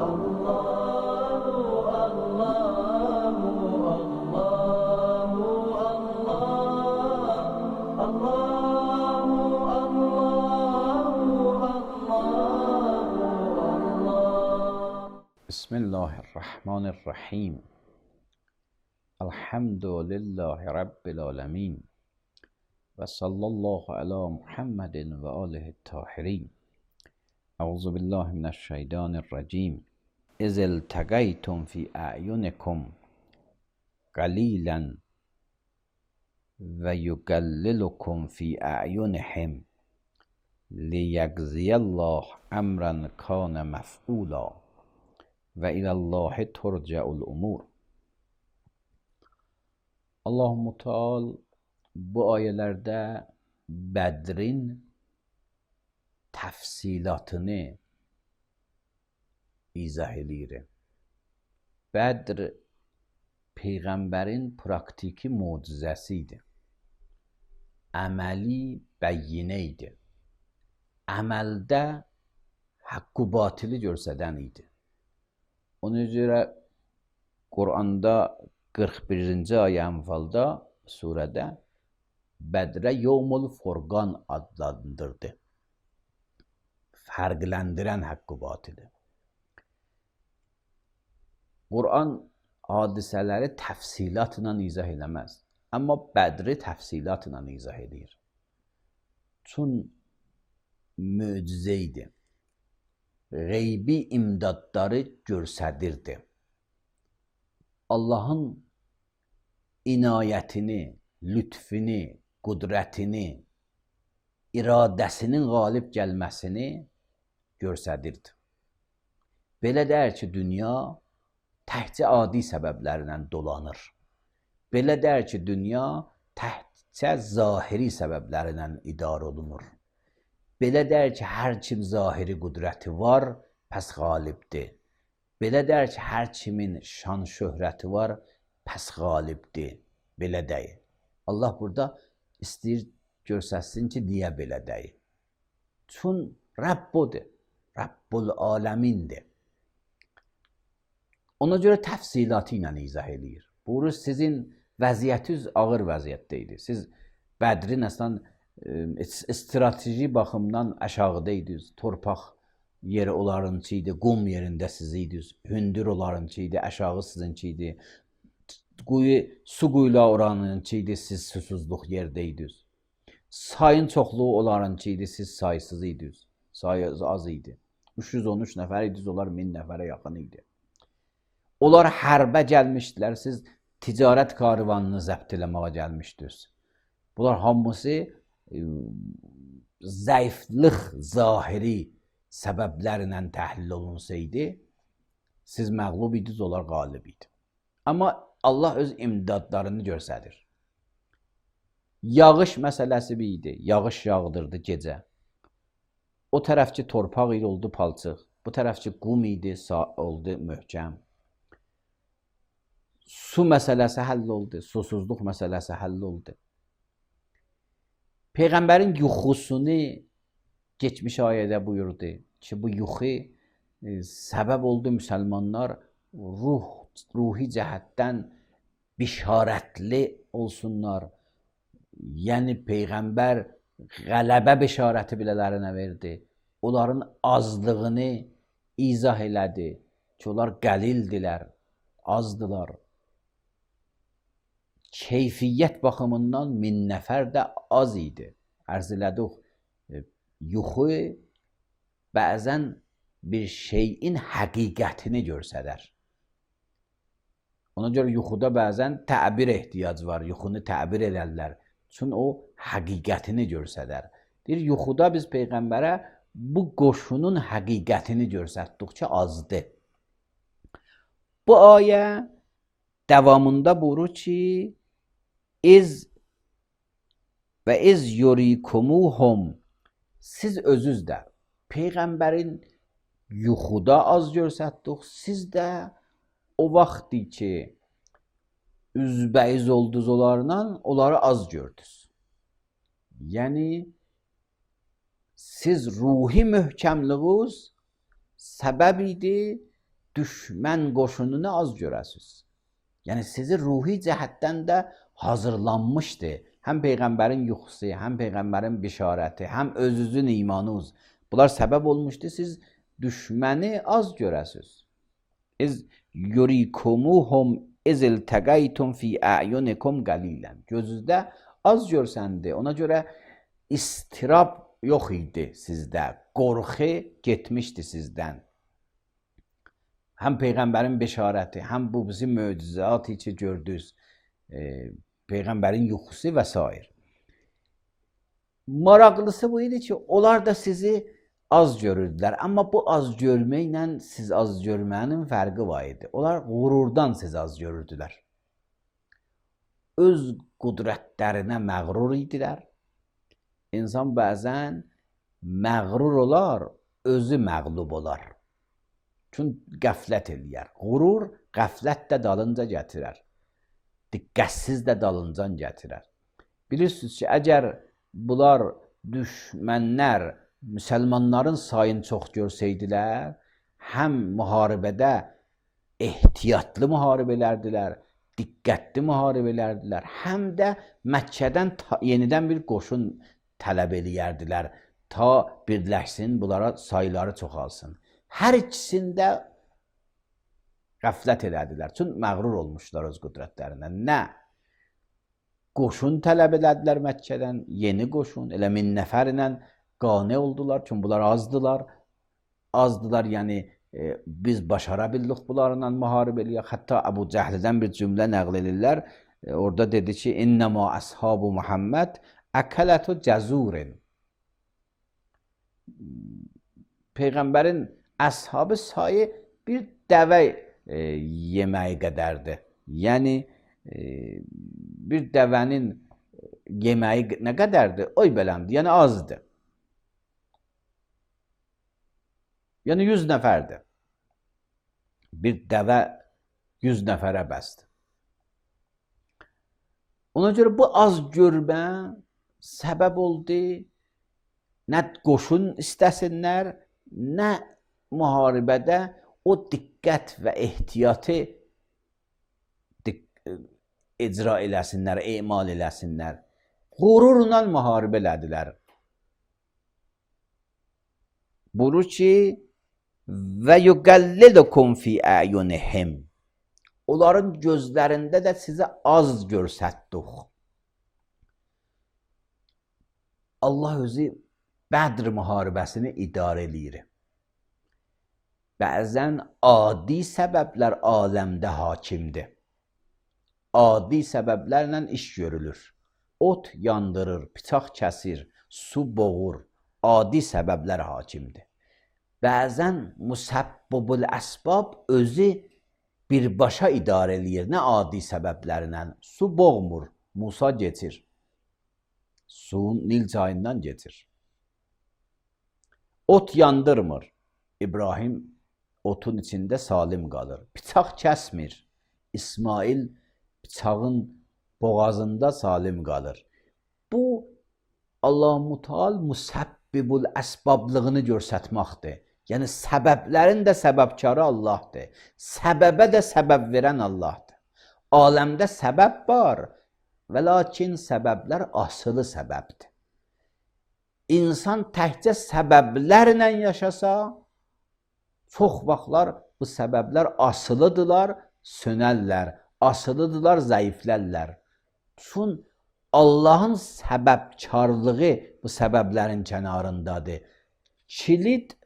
بسم الله الرحمن الرحیم. الحمد لله رب العالمین و صلی الله علی محمد و آله الطاهرین. اعوذ بالله من الشیطان الرجیم. اذ التقیتم فی اعینکم قلیلا و یقللکم فی اعینهم لیجزی الله امرا کان مفعولا و الی الله ترجع الامور. Allah Müteal bu ayelerde Bedrin təfsilatını izah edir. Bedr Peyğəmbərin praktiki mucizəsi idi. Əməli bəyyinə idi. Əməldə haqqı batili göstərən idi. Ona görə Quranda 41-ci ayə Ənfalda surədə Bədrə Yevmul Furqan adlandırdı. Fərqləndirən haqqı batili. Quran hadisələri təfsilatla izah eləməz. Amma Bədri təfsilatla izah edir. Çün möcüzə idi. Qeybi imdadları göstərirdi. Allahın inayətini, lütfini, qudrətini, iradəsinin qalib gəlməsini göstərirdi. Belə deyər ki, dünya təkcə adi səbəblərlə dolanır. Belə deyər ki, dünya təkcə zahiri səbəblərlə idarə olunur. Belə deyər ki, hər kim zahiri qudrəti var, pəs qalibdir. Belə deyər ki, hər kimin şan şöhrəti var, pəs qalibdir. Belə deyir. Allah burada istəyir göstərsin ki, deyə belə deyir. Çün Rəbb odur, Rəbbul aləmindir. Ona görə təfsilatı ilə izah edir. Buyurur, sizin vəziyyətiniz ağır vəziyyətdə idi. Siz Bədrin əslən strateji baxımdan aşağıda idiniz. Torpaq yeri onlarınki idi, qum yerində siz idiniz. Hündür onlarınki idi, aşağı sizinki idi. Su quyula oranınki idi, siz susuzluq yerdə idiniz. Sayın çoxluğu onlarınki idi, siz saysız idiniz. Sayı az idi. 313 nəfər idiniz, onlar 1000 nəfərə yaxın idi. Onlar hərbə gəlmişdilər, siz ticarət karvanını zəbt eləməyə gəlmişdiniz. Bunlar hamısı zəiflik zahiri səbəblərlə təhlil olunsaydı, siz məğlub idiniz, onlar qalib idi. Amma Allah öz imdadlarını göstərir. Yağış məsələsi bir idi. Yağış yağdırdı gecə. O tərəfki torpaq idi, oldu palçıq. Bu tərəfki qum idi, oldu möhkəm. Su məsələsi həll oldu. Susuzluq məsələsi həll oldu. Peyğəmbərin yuxusunu geçmiş ayədə buyurdu ki, bu yuxu səbəb oldu müsəlmanlar ruhi cəhətdən bişarətli olsunlar. Yəni Peyğəmbər qələbə bişarəti bilələrinə verdi. Onların azlığını izah elədi ki, onlar qəlildilər, azdılar. Keyfiyyət baxımından 1000 nəfər də az idi. Ərz elədik, yuxu bəzən bir şeyin həqiqətini göstərir. Ona görə yuxuda bəzən təbir ehtiyac var, yuxunu təbir edərlər. Çünki o həqiqətini göstərir. Deyir, yuxuda biz Peyğəmbərə bu qoşunun həqiqətini göstərdikcə azdır. Bu ayə davamında buyurur ki, İz və iz yurikumuhum, siz özünüz də Peyğəmbərin yuxuda az göstərdik, siz də o vaxtdır ki, üzbəyiz oldunuz onlarla, onları az gördünüz. Yəni, siz ruhi möhkəmliyiniz səbəb idi düşmən qoşununu az görəsiz. Yəni sizi ruhi cəhətdən də hazırlanmışdı. Həm Peyğəmbərin yuxusu, həm Peyğəmbərin bişarəti, həm özünüzün imanınız. Bunlar səbəb olmuşdu, siz düşməni az görəsiz. İz yurikumuhum iz iltəqaytum fi a'yunikum qalilan. Gözünüzdə az görsəndi. Ona görə istirab yox idi sizdə. Qorxu getmişdi sizdən. Həm Peyğəmbərin beşarəti, həm bu bizim möcüzatı ki gördünüz, Peyğəmbərin yuxusu və s. Maraqlısı bu idi ki, onlar da sizi az görürdülər. Amma bu az görməklə siz az görmənin fərqi var idi. Onlar qururdan sizi az görürdülər. Öz qudrətlərinə məğrur idilər. İnsan bəzən məğrur olar, özü məğlub olar. Çünki qəflət eləyər. Qurur qəflət də dalınca gətirər. Diqqətsiz də dalıncan gətirər. Bilirsiniz ki, əgər bunlar düşmənlər müsəlmanların sayını çox görsəydilər, həm müharibədə ehtiyatlı müharibələrdilər, diqqətli müharibələrdilər, həm də Məkkədən yenidən bir qoşun tələb eləyərdilər, ta birləşsin, bunlara sayıları çoxalsın. Hər ikisində qəflət elədilər. Çünki məğrur olmuşlar öz qüdrətlərindən. Nə? Qoşun tələb elədilər Məkkədən, yeni qoşun, elə 1000 nəfərlə qane oldular. Çünki bunlar azdılar. Azdılar, yəni biz başara bildik bunlarla müharibə eləyək. Hətta Əbu Cəhlidən bir cümlə nəql edirlər. Orada dedi ki, İnnəmə əshabu Muhammed əkələtu cəzurin. Peyğəmbərin əshabı sayı bir dəvə yeməyi qədərdir. Yəni, bir dəvənin yeməyi nə qədərdir? Oy beləmdir, yəni azdır. Yəni 100 nəfərdir. Bir dəvə 100 nəfərə bəsdir. Ona görə bu az görmə səbəb oldu, nə qoşun istəsinlər, nə müharibədə o diqqət və ehtiyatı icra eləsinlər, emal eləsinlər. Qururla müharibə elədilər. Buyurur ki, və yuqallilukum fi a'yunihim. Onların gözlərində də sizə az görsətdik. Allah özü Bədr müharibəsini idarə eləyir. Bəzən adi səbəblər aləmdə hakimdir. Adi səbəblərlə iş görülür. Ot yandırır, bıçaq kəsir, su boğur. Adi səbəblər hakimdir. Bəzən musabbibul əsbab özü birbaşa idarə eləyir. Nə adi səbəblərlə? Su boğmur, Musa geçir. Suyun Nil çayından geçir. Ot yandırmır. İbrahim otun içində salim qalır. Bıçaq kəsmir. İsmail bıçağın boğazında salim qalır. Bu Allah-u Teala musabbibul əsbablığını göstərməkdir. Yəni səbəblərin də səbəbkarı Allahdır. Səbəbə də səbəb verən Allahdır. Aləmdə səbəb var və lakin səbəblər asılı səbəbdir. İnsan təkcə səbəblərlə yaşasa, çox vaxtlar bu səbəblər asılıdırlar, sönərlər, asılıdırlar, zəiflərlər. Çünki Allahın səbəbkarlığı bu səbəblərin kənarındadır. Kilit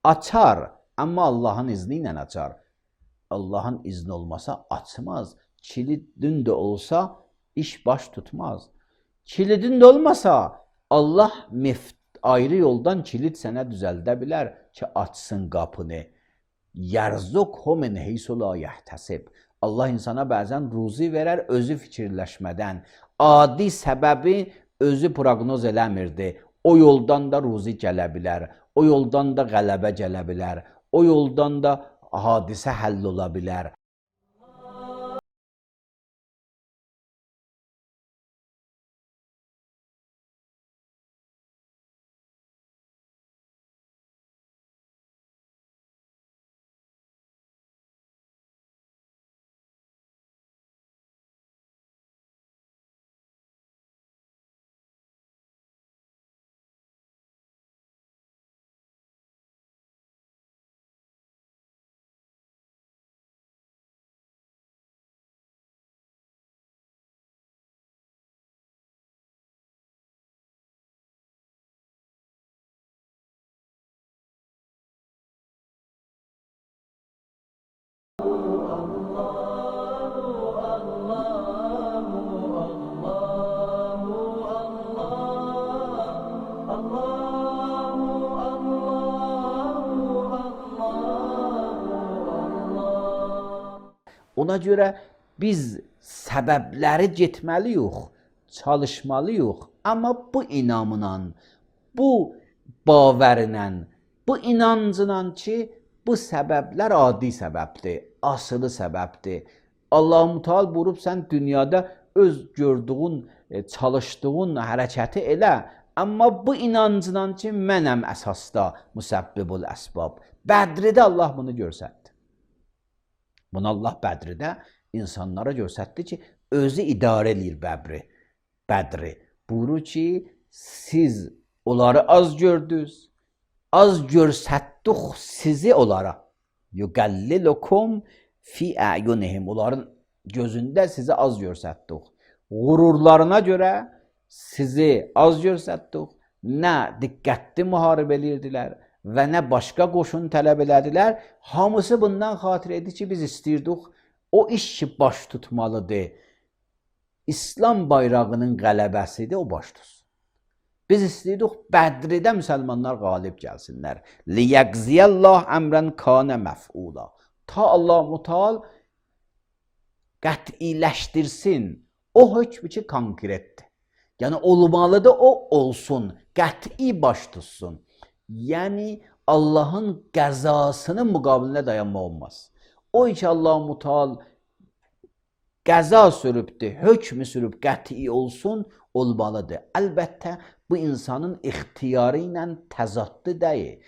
açar, amma Allahın izni ilə açar. Allahın izni olmasa açmaz. Kilidin də olsa iş baş tutmaz. Kilidin də olmasa Allah ayrı yoldan kilit sənə düzəldə bilər ki, açsın qapını. Yərzuqhu min heysu la yəhtasib. Allah insana bəzən ruzi verər, özü fikirləşmədən. Adi səbəbi özü proqnoz eləmirdi. O yoldan da ruzi gələ bilər. O yoldan da qələbə gələ bilər. O yoldan da hadisə həll ola bilər. Ona görə biz səbəbləri getməliyik, çalışmalıyıq. Amma bu inamla, bu bavərlə, bu inancla ki, bu səbəblər adi səbəbdir, asılı səbəbdir. Allah-u Teala buyurub, sən dünyada öz gördüyün, çalışdığın hərəkəti elə, amma bu inancla ki, mənəm əsasda müsəbbibul əsbab. Bədridə Allah bunu göstərdi. Bunu Allah Bədridə insanlara göstərdi ki, özü idarə edir Bədri. Buyurur ki, siz onları az gördünüz, az görsətdik sizi onlara. Yuqallilukum fi a'yunihim. Onların gözündə sizi az görsətdik. Qururlarına görə sizi az görsətdik. Nə diqqətli müharibə edirdilər və nə başqa qoşun tələb elədilər. Hamısı bundan xatir edir ki, biz istəyirdik o iş ki, baş tutmalıdır. İslam bayrağının qələbəsidir, o baş tutsun. Biz istəyirdik Bədridə müsəlmanlar qalib gəlsinlər. Liyəqziyəllah əmrən kanə məf'ula. Ta Allah-u Teala qətiləşdirsin. O hökmü ki, konkretdir. Yəni, olmalıdır, o olsun. Qəti baş tutsun. Yəni, Allahın qəzasının müqabilində dayanma olmaz. O ki, Allah-u Teala qəza sürübdür, hökmü sürüb qəti olsun, olmalıdır. Əlbəttə, bu insanın ixtiyarı ilə təzadlı deyil.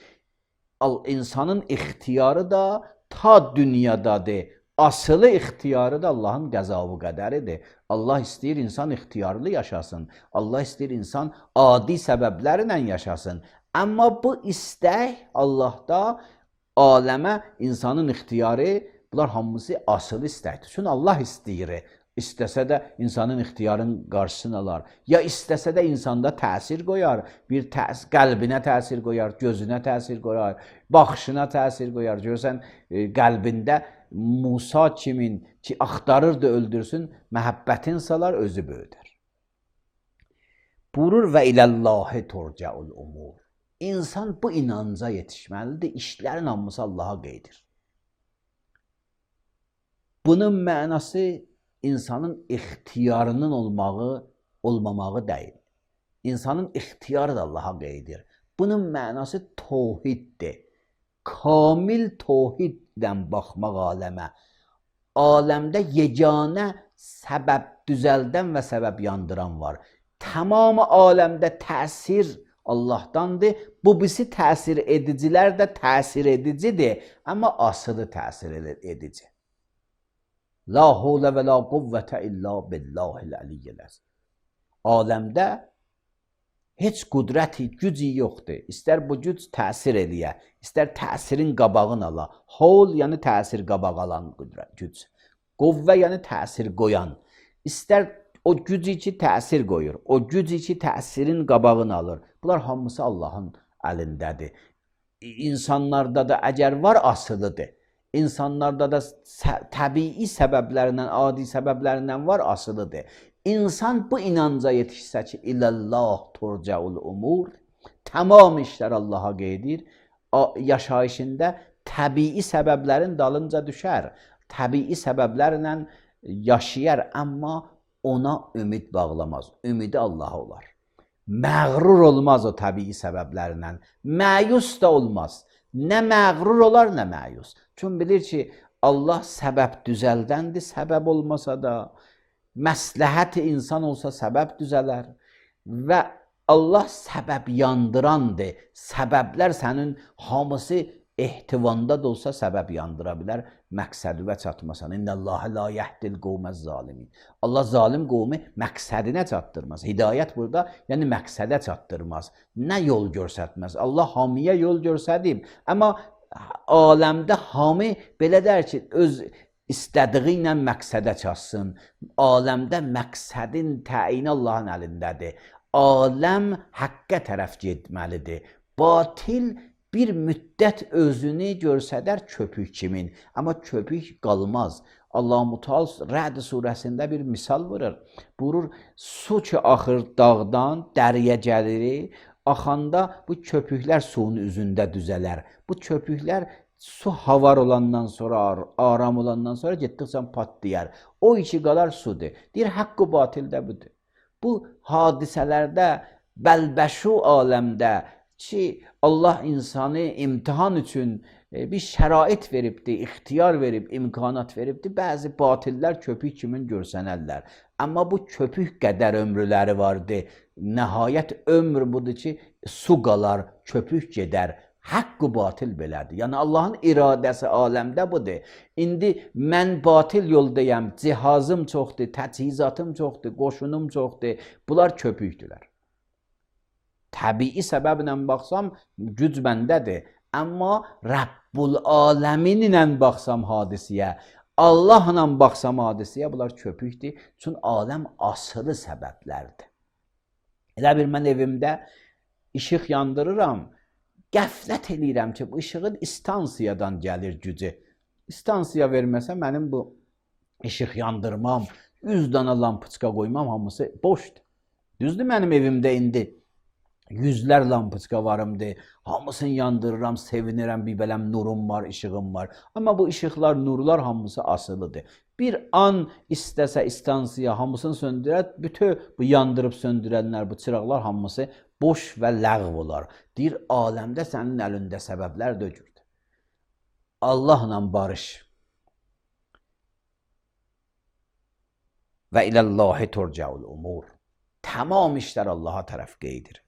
İnsanın ixtiyarı da ta dünyadadır. Asılı ixtiyarı da Allahın qəzavı qədəridir. Allah istəyir insan ixtiyarlı yaşasın. Allah istəyir insan adi səbəblərlə yaşasın. Amma bu istək Allahda aləmə insanın ixtiyarı, bunlar hamısı asılı istəkdir. Çünki Allah istəyir. İstəsə də insanın ixtiyarının qarşısını alar. Ya istəsə də insanda təsir qoyar. Bir qəlbinə təsir qoyar, gözünə təsir qoyar, baxışına təsir qoyar. Görsən, qəlbində Musa kimin ki, axtarırdı, öldürsün, məhəbbətin salar, özü böyüdər. Buyurur və iləllahi turca'ul umur. İnsan bu inanca yetişməlidir, işlərin hamısı Allaha qeydir. Bunun mənası insanın ixtiyarının olmamağı deyil. İnsanın ixtiyarı da Allaha qeydir. Bunun mənası tohiddir. Kamil tohiddən baxmaq aləmə. Aləmdə yeganə səbəb düzəldən və səbəb yandıran var. Tamamı aləmdə təsir Allahdandır. Bu birisi təsir edicilər də təsir edicidir. Amma asılı təsir edici. La havle və la quvvətə illa billahil aliyyil əzim. Aləmdə heç qudrəti, gücü yoxdur. İstər bu güc təsir eləyə, istər təsirin qabağını ala. Havl yəni təsir qabağı alan güc. Quvvə yəni təsir qoyan. İstər o güc ki təsir qoyur, o güc ki təsirin qabağını alır. Bunlar hamısı Allahın əlindədir. İnsanlarda da əgər var, asılıdır. İnsanlarda da təbii səbəblərindən, adi səbəblərindən var, asılıdır. İnsan bu inanca yetişsə ki, iləllah turca'ul umur, tamam işlər Allaha qeydir, yaşayışında təbii səbəblərin dalınca düşər, təbii səbəblərlə yaşayar, amma ona ümid bağlamaz, ümidi Allaha olar. Məğrur olmaz o təbii səbəblərlə, məyus da olmaz. Nə məğrur olar, nə məyus. Çünki bilir ki, Allah səbəb düzəldəndir, səbəb olmasa da, məsləhət insan olsa səbəb düzələr və Allah səbəb yandırandır. Səbəblər sənin hamısı ehtivanda da olsa səbəb yandıra bilər, məqsədivə çatmasan. İnnəlləhə la yəhdil qovməz zalimin. Allah zalim qovmu məqsədinə çatdırmaz. Hidayət burada, yəni məqsədə çatdırmaz. Nə yol görsətməz? Allah hamiyə yol görsədib. Amma aləmdə hami belə der ki, öz istədiyi ilə məqsədə çatsın. Aləmdə məqsədin təyini Allahın əlindədir. Aləm həqqə tərəf getməlidir. Batil bir müddət özünü görsədər köpük kimin, amma köpük qalmaz. Allah-u Teala Rəd surəsində bir misal vurur. Buyurur, su ki axır dağdan, dəriyə gəlir, axanda bu köpüklər suyun üzündə düzələr. Bu köpüklər Su havar olandan sonra, aram olandan sonra getdikcə patlayar. O içi qalar sudur. Deyir, haqq-ı batildə budur. Bu hadisələrdə, bəlbəşu aləmdə ki, Allah insanı imtihan üçün bir şərait veribdir, ixtiyar verib, imkanat veribdir. Bəzi batillər köpük kimi görsənərlər. Amma bu köpük qədər ömrləri vardır. Nəhayət ömr budur ki, su qalar, köpük gedər. Haqq-ı batil belədir. Yəni Allahın iradəsi aləmdə budur. İndi mən batil yoldayam, cihazım çoxdur, təchizatım çoxdur, qoşunum çoxdur. Bunlar köpükdülər. Təbii səbəblə baxsam, güc məndədir. Amma Rəbbul aləminlə baxsam hadisiyə, Allahla baxsam hadisiyə, bunlar köpükdür. Çünki aləm asılı səbəblərdir. Elə bir mən evimdə işıq yandırıram, qəflət eləyirəm ki, bu işığın istansiyadan gəlir gücü. İstansiya verməsə mənim bu işıq yandırmam, 100 dana lampoçka qoymam, hamısı boşdur. Düzdür, mənim evimdə indi yüzlər lampoçka varımdır, hamısını yandırıram, sevinirəm, bir bələm nurum var, işığım var. Amma bu işıqlar, nurlar hamısı asılıdır. Bir an istəsə istansiya hamısını söndürər, bütün bu yandırıb söndürənlər, bu çıraqlar hamısı boş və ləğv olar. Deyir, aləmdə sənin əlində səbəblər dökürdür. Allahla barış. Və iləllahi turca'ul umur. Tamam işlər Allaha tərəf qeydir.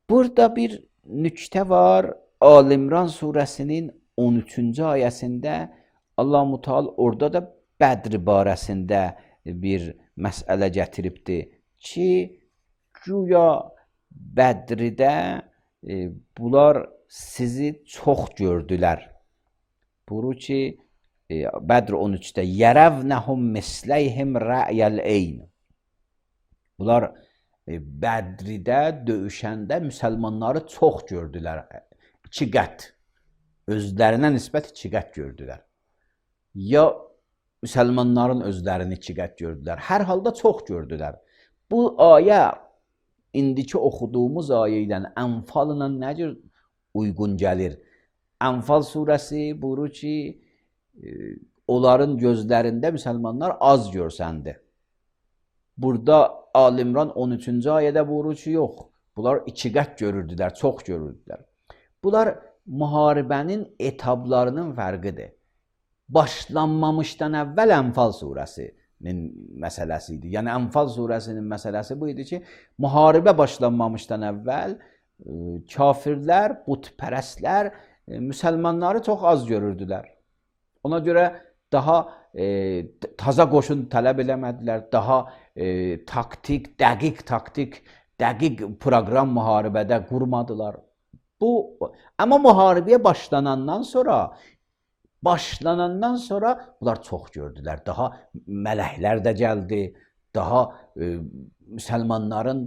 Burada bir nüktə var. Al-İmran surəsinin 13-cü ayəsində Allah-u Teala orada da Bədr barəsində bir məsələ gətiribdir ki, güya Bədridə bunlar sizi çox gördülər. Buyurur ki, Bədr 13-də yərəvnəhum misləyhim rəyəl eyn. Bunlar Bədridə döyüşəndə müsəlmanları çox gördülər. 2 qət. Özlərinə nisbət 2 qət gördülər. Ya müsəlmanların özlərini 2 qət gördülər. Hər halda çox gördülər. Bu ayə indiki oxuduğumuz ayə ilə Ənfalla nə cür uyğun gəlir? Ənfal surəsi buyurur ki, onların gözlərində müsəlmanlar az görsəndi. Burada Al-İmran 13-cü ayədə buyurur ki, yox, bunlar 2 qət görürdülər, çox görürdülər. Bunlar müharibənin etablarının fərqidir. Başlanmamışdan əvvəl Ənfal surəsinin məsələsi idi. Yəni Ənfal surəsinin məsələsi bu idi ki, müharibə başlanmamışdan əvvəl kafirlər, butpərəstlər müsəlmanları çox az görürdülər. Ona görə daha taza qoşun tələb eləmədilər, daha taktik, dəqiq proqram müharibədə qurmadılar. Amma müharibəyə başlanandan sonra bunlar çox gördülər. Daha mələklər də gəldi, daha müsəlmanların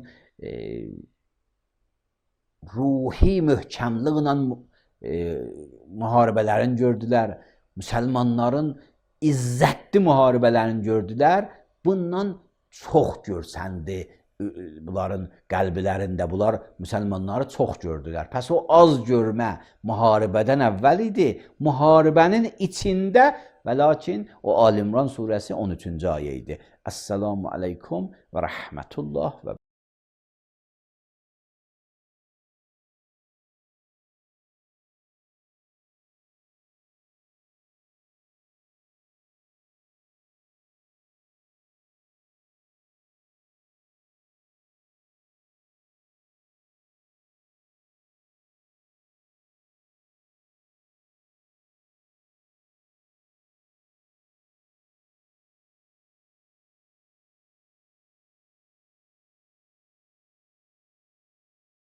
ruhi möhkəmliğlə müharibələrini gördülər. Müsəlmanların izzətli müharibələrini gördülər. Bundan çox görsəndi bunların qəlblərində. Bunlar müsəlmanları çox gördülər. Pəs o az görmə müharibədən əvvəl idi. Müharibənin içində və lakin o Al-İmran surəsi 13-cü ayə idi. Əssalamu aleykum və rəhmətullah və